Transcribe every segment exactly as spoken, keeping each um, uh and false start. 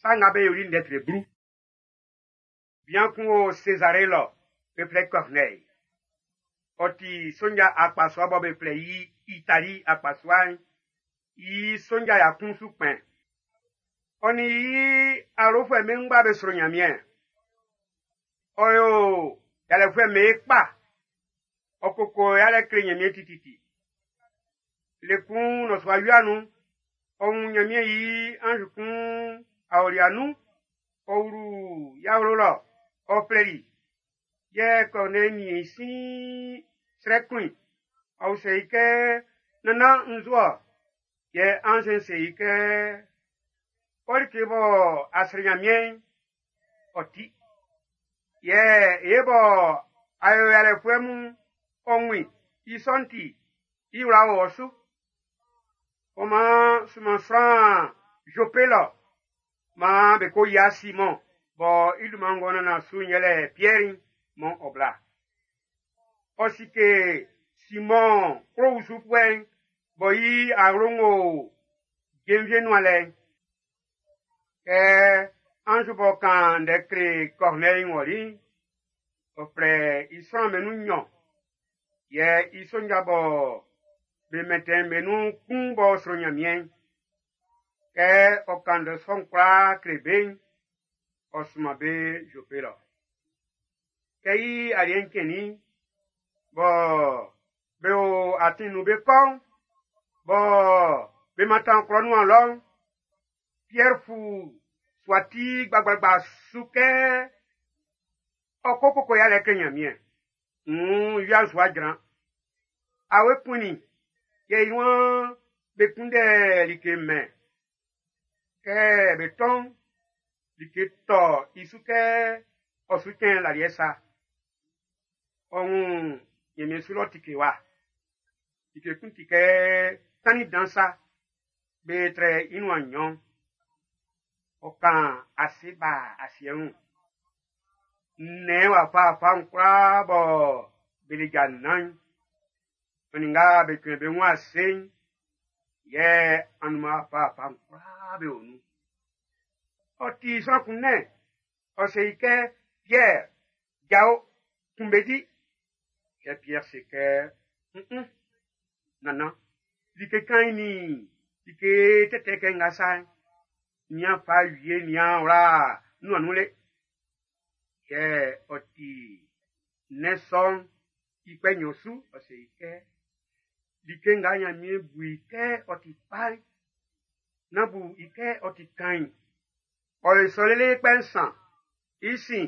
Sa Nga Be Yoli'n ndɛ tre blu. Bian kun o Sezare lɔ, be flɛ i Corneille. Ɔ ti sonja akpasua bɔ be flɛ i Itali akpasua'n i sonja ya kun su kpɛn. Ɔ nin i awlofuɛ'm be ngba be sro Nyanmiɛn. Ɔ yo yalɛfuɛ'm be kpa. Ɔ koko yalɛ kle Nyanmiɛn tititi. Le kun nnɔsua wia nun'n, ɔ wun Nyanmiɛn i anz kun aolia nun, ɔ wlu i awlo lɔ, ɔ flɛli i. Yɛ Corneille nin i sin srɛ kun i. Ɔ usɛ i kɛ, nannan nzu-ɔ? Yɛ anz'n se i kɛ, ɔ like bɔ a srɛ Nyanmiɛn'n, ɔ ti. Yɛ e bɔ a yo yalɛfuɛ mun ɔ wun i, i sɔ'n ti, i wla o ɔ su. Ɔ maan sunman sran Jope lɔ, maan be ko yia Simɔn bɔ i dunman ng'ɔ nannan su'n yɛlɛ Piɛr'n mɔ ɔ bla. Ɔ sike Simɔn kplo usufuɛ'n bɔ i awlo'n o jenvie nuan lɛ'n. Kɛ anz b'ɔ kan ndɛ kle Corneille wɔli'n, ɔ flɛ i sran'm be nun nnyɔn, yɛ i sonja bɔ be mɛntɛn be nun kun b'ɔ sro Nyanmiɛn'n. Kɛ ɔ kan ndɛ sɔ'n kwlaa kle be'n, ɔ sunman be Jope lɔ. Kɛ i aliɛ'n cɛnnin'n, bɔ be o atin nun be kɔ'n, bɔ be mantan klɔ nuan lɔ'n, Pierre fu suati gbagbagba su kɛ ɔ ko koko yalɛ kle Nyanmiɛn. N wia'n su a jran. Awe kunnin, yɛ i waan be kunndɛ like mɛn. Kɛ be tɔn, like tɔ i su kɛ ɔ su cɛn laliɛ sa. Ɔ wun Nyanmiɛn su lɔ tike wa. Like kun ti kɛ tannin dan sa. Be trɛ i nuan nnyɔn. Ɔ kan ase ba asiɛ wun. Nnɛn wafawafa'n kwlaa bɔ be le ja nnan'n, ɔ nin nga be cuɛn be wun ase'n, yɛ anunman wafawafa'n kwlaa be o nun. Ɔ ti sran kun nɛn, ɔ se i kɛ, Pierre, jao, kun be di. Yɛ Pierre se kɛ, mm nannan, like kain nin like tɛtɛ kɛ nga sa'n, nian fa wie nian wla nuan nun le. Yɛ ɔ ti nnɛn sɔ'n i kpɛ nnyɔn su, ɔ se i kɛ, like nga Nyanmiɛn bu i kɛ ɔ ti kpa'n, nán bu i kɛ ɔ ti kain. Ɔ yo sɔ lele kpɛ nsan, i sin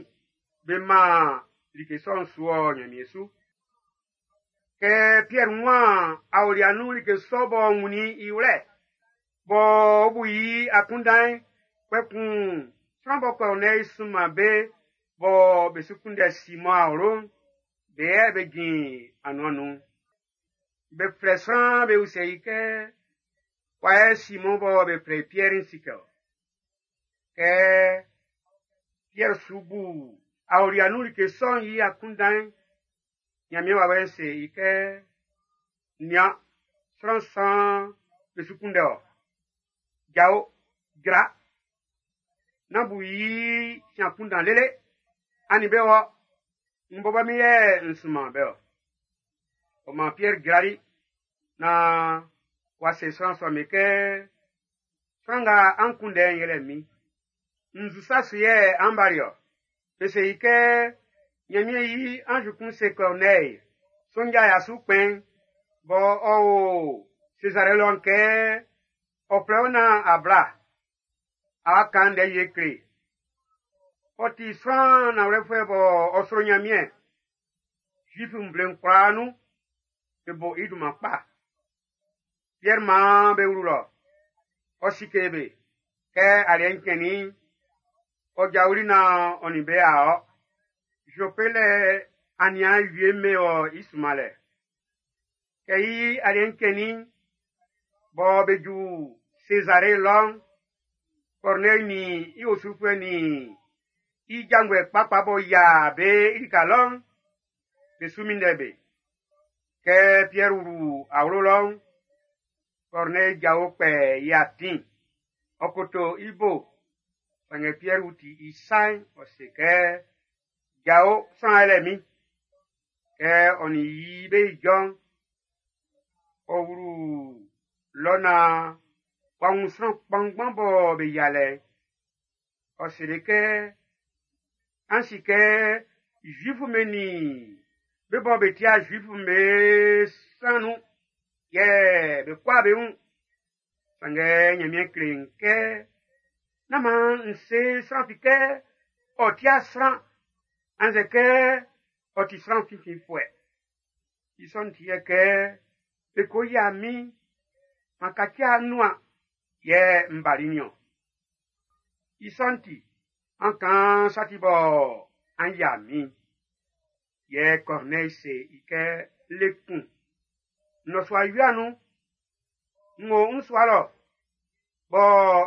be man like sɔ'n su ɔ Nyanmiɛn su. Kɛ Pierre waan aolia nun like sɔ b'ɔ wunnin i wlɛ, b'ɔ bu i akunndan'n, kpɛkun sran bɔ Corneille sunman be bɔ be su kunndɛ Simɔn awlo'n, be yɛ be jin anuan nun. Be flɛ sran be usɛ i kɛ, wa yɛ Simɔn bɔ be flɛ i Piɛr'n si kɛ ɔ. Kɛ Pierre su bu aolia nun like sɔ'n i akunndan'n, Nyanmiɛn wawɛ'n se i kɛ, nian, sran nsan be su kunndɛ ɔ. Jao, jra. Nán bu i sin akunndan lele. A nin be wɔ. N bɔbɔ min yɛ n sunman be ɔ. Ɔ maan Pierre jrali na w'a se sran sɔ'm be kɛ, sran nga an kunndɛ'n yɛlɛ min. Nzu sa su yɛ an bali ɔ. Be se i kɛ, Nyanmiɛn i anz kun se Corneille, sonja ya su kpɛn, bɔ ɔ o Césarée lɔ'n kɛ, ɔ flɛ wo nan a bla, a wa kan ndɛ wie kle. Ɔ ti sran nanwlɛfuɛ bɔ ɔ sro Nyanmiɛn. Zuif nvle'n kwlaa nun, be bo i dunman kpa. Pierre maan be wlu lɔ. Ɔ sike be. Kɛ aliɛ'n cɛnnin'n, ɔ jawli nan ɔ nin be a ɔ. Jope lɛ aniaan wie me wɔ i sunmanlɛ. Kɛ i aliɛ'n cɛnnin'n, bɔ be ju Césarée lɔ'n, Corneille nin i osufuɛ nin i janvuɛ kpakpa bɔ yia be i lika lɔ'n, be su minndɛ be. Kɛ Pierre wlu awlo lɔ'n, Corneille jao kpɛ i atin, ɔ koto i bo, Sanngɛ Piɛr ti i sa'n, ɔ se kɛ, Jao, sran yɛlɛ min. Kɛ ɔ nin i be ijɔ'n, ɔ wlu lɔ naan w'a wun sran kpanngban bɔ be yia lɛ. Ɔ seli kɛ, an si kɛ Zuifu'm be nin be bɔ be ti'a Zuifu'm be san nun, yɛ be kwlaa be wun. Sanngɛ Nyanmiɛn kle n kɛ, nán maan n se sran fi kɛ ɔ ti'a sran, annzɛ kɛ ɔ ti sran finfinfuɛ. I sɔ'n ti yɛ kɛ be ko yia min, m'an kaci anuan, yɛ n bali niɔn. I sɔ'n ti, an kan sa ti bɔ an yia min. Yɛ Corneille se i kɛ le kun. Nnɔsua wia nun, n wo n sua lɔ, bɔ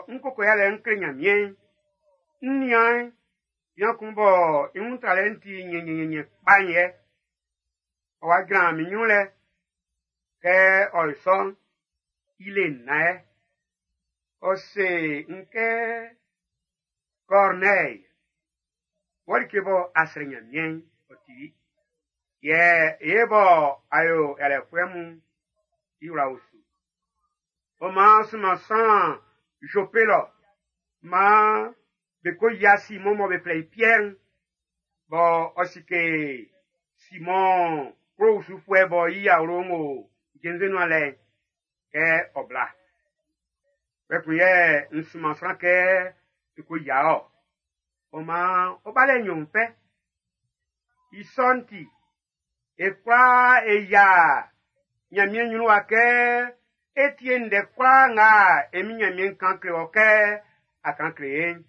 n koko yalɛ n kle Nyanmiɛn. N nian bian kun bɔ i wun tralɛ'n ti nyɛnyɛnyɛnyɛ kpa'n yɛ. Ɔ wa jran min ɲrun lɛ. Kɛ ɔ yo sɔ'n, i le nnan yɛ. Ɔ se n kɛ Corneille, wɔ like bɔ a srɛ Nyanmiɛn'n, ɔ tili. Yɛ e bɔ a yo yalɛfuɛ mun, i wla o su. Ɔ maan sunman sran Jope lɔ, maan be ko yia Simɔn mɔ be flɛ i Piɛr'n, bɔ ɔ sike Simɔn kplo usufuɛ bɔ i awlo'n o jenvie nuan lɛ'n, kɛ ɔ bla. Kpɛkun yɛ n sunman sran kɛ be ko yia ɔ. Ɔ maan ɔ ba lɛ nɲɔn fɛ. I sɔ'n ti, e kwlaa e yia Nyanmiɛn ɲrun wa kɛ e tie ndɛ kwlaa nga e min Nyanmiɛn kan kle wɔ kɛ a kan kle e'n.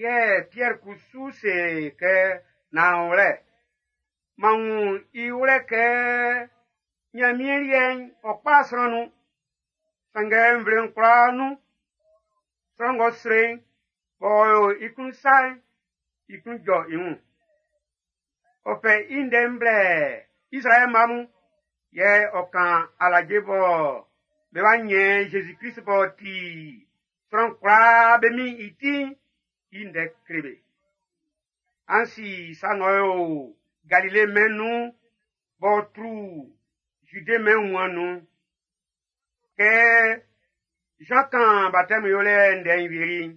Yɛ Pierre kusu se kɛ nanwlɛ, m'an wun i wlɛ kɛ Nyanmiɛn liɛ'n ɔ kpa sran nun. Sanngɛ nvle'n kwlaa nun, sran ng'ɔ sro'n, b'ɔ yo i klun sa'n, i klun jɔ i wun. Ɔ fɛ i ndɛ'n blɛ Israɛl mma mun, yɛ ɔ kan alaje bɔ be wa nyɛ Jésus Christ b'ɔ ti sran kwlaa be min i ti'n, i ndɛ kle be. An si sa ng'ɔ yo Galile mɛn'n nun b'ɔ tru Jude mɛn'n wunmuan'n nun. Kɛ Jean kan baptême yolɛ ndɛ'n wieli'n,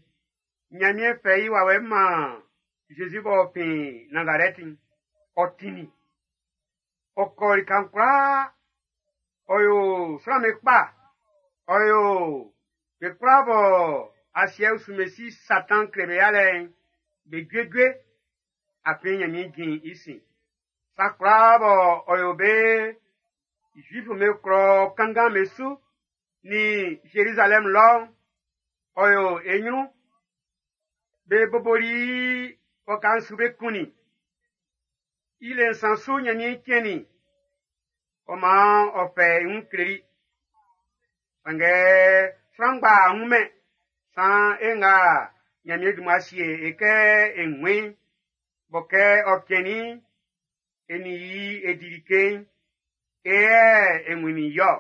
Nyanmiɛn fɛ i wawɛ'n man Jésus b'ɔ fin Nazarɛti'n, ɔ tinnin. Ɔ kɔ lika'n kwlaa, ɔ yo sran'm be kpa, ɔ yo be kwlaa bɔ asiɛ usu Satan kle be yalɛ'n, be juejue, afin Nyanmiɛn jin i sin. Sa kwlaa bɔ ɔ yo be Zuifu'm be klɔ kanngan be su, ni Jérusalem lɔ'n, ɔ yo e ɲrun. Be boboli waka'n su be kunnin. I le nsan su Nyanmiɛn cɛnnin. Ɔ maan ɔ fɛ i wun kleli. Sanngɛ sran ngba wunmɛn san e nga Nyanmiɛn dun mmua sie e kɛ e wun bɔ kɛ ɔ cɛnnin'n, e nin i e di like'n, e yɛ e wunnin i-ɔ.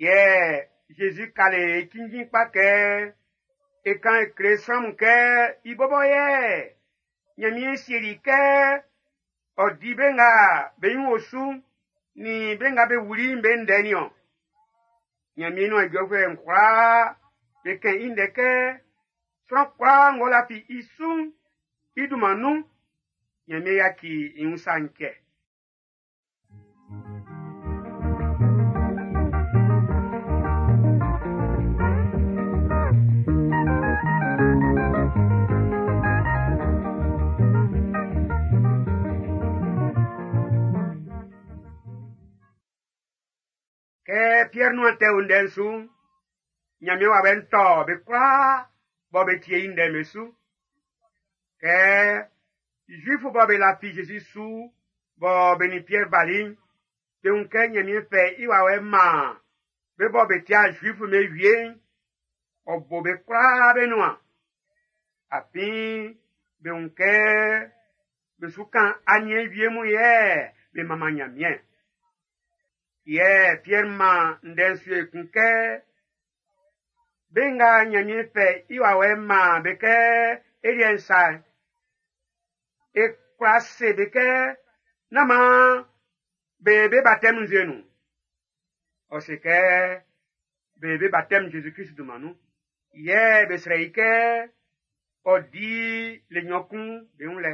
Yɛ Jésus kale e cinnjin kpa kɛ e kan e kle sran mun kɛ i bɔbɔ yɛ Nyanmiɛn sieli kɛ ɔ di be nga be nyin o su'n nin be nga be wuli'n be ndɛ niɔn. Nyanmiɛn nuan ijɔfuɛ'n kwlaa be kɛn i ndɛ kɛ sran kwlaa ng'ɔ lafi i su'n i dunman nun, Nyanmiɛn yaci i wun sa'n cɛ. Kɛ Pierre nuan tɛ o ndɛ'n su'n, Nyanmiɛn wawɛ'n tɔ be kwlaa bɔ be tie i ndɛ'n be su. Kɛ Zuifu bɔ be lafi Jésus su bɔ be nin Pierre bali'n, be wun kɛ Nyanmiɛn fɛ i wawɛ'n man Be bɔ be ti'a Zuifu'm be wie'n, ɔ bo be kwlaa be nuan. Afin be wun kɛ be su kan aniɛn wie mun yɛ be manman Nyanmiɛn. Yɛ Piɛr man ndɛ'n su ekun kɛ, be nga Nyanmiɛn fɛ i wawɛ'n man be kɛ e liɛ'n sa'n, e kwla se be kɛ nán maan be be baptême nzue nun. Ɔ se kɛ be be baptême Jésus Christ dunman nun. Yɛ be srɛ i kɛ ɔ di le nnyɔn kun be wun lɛ.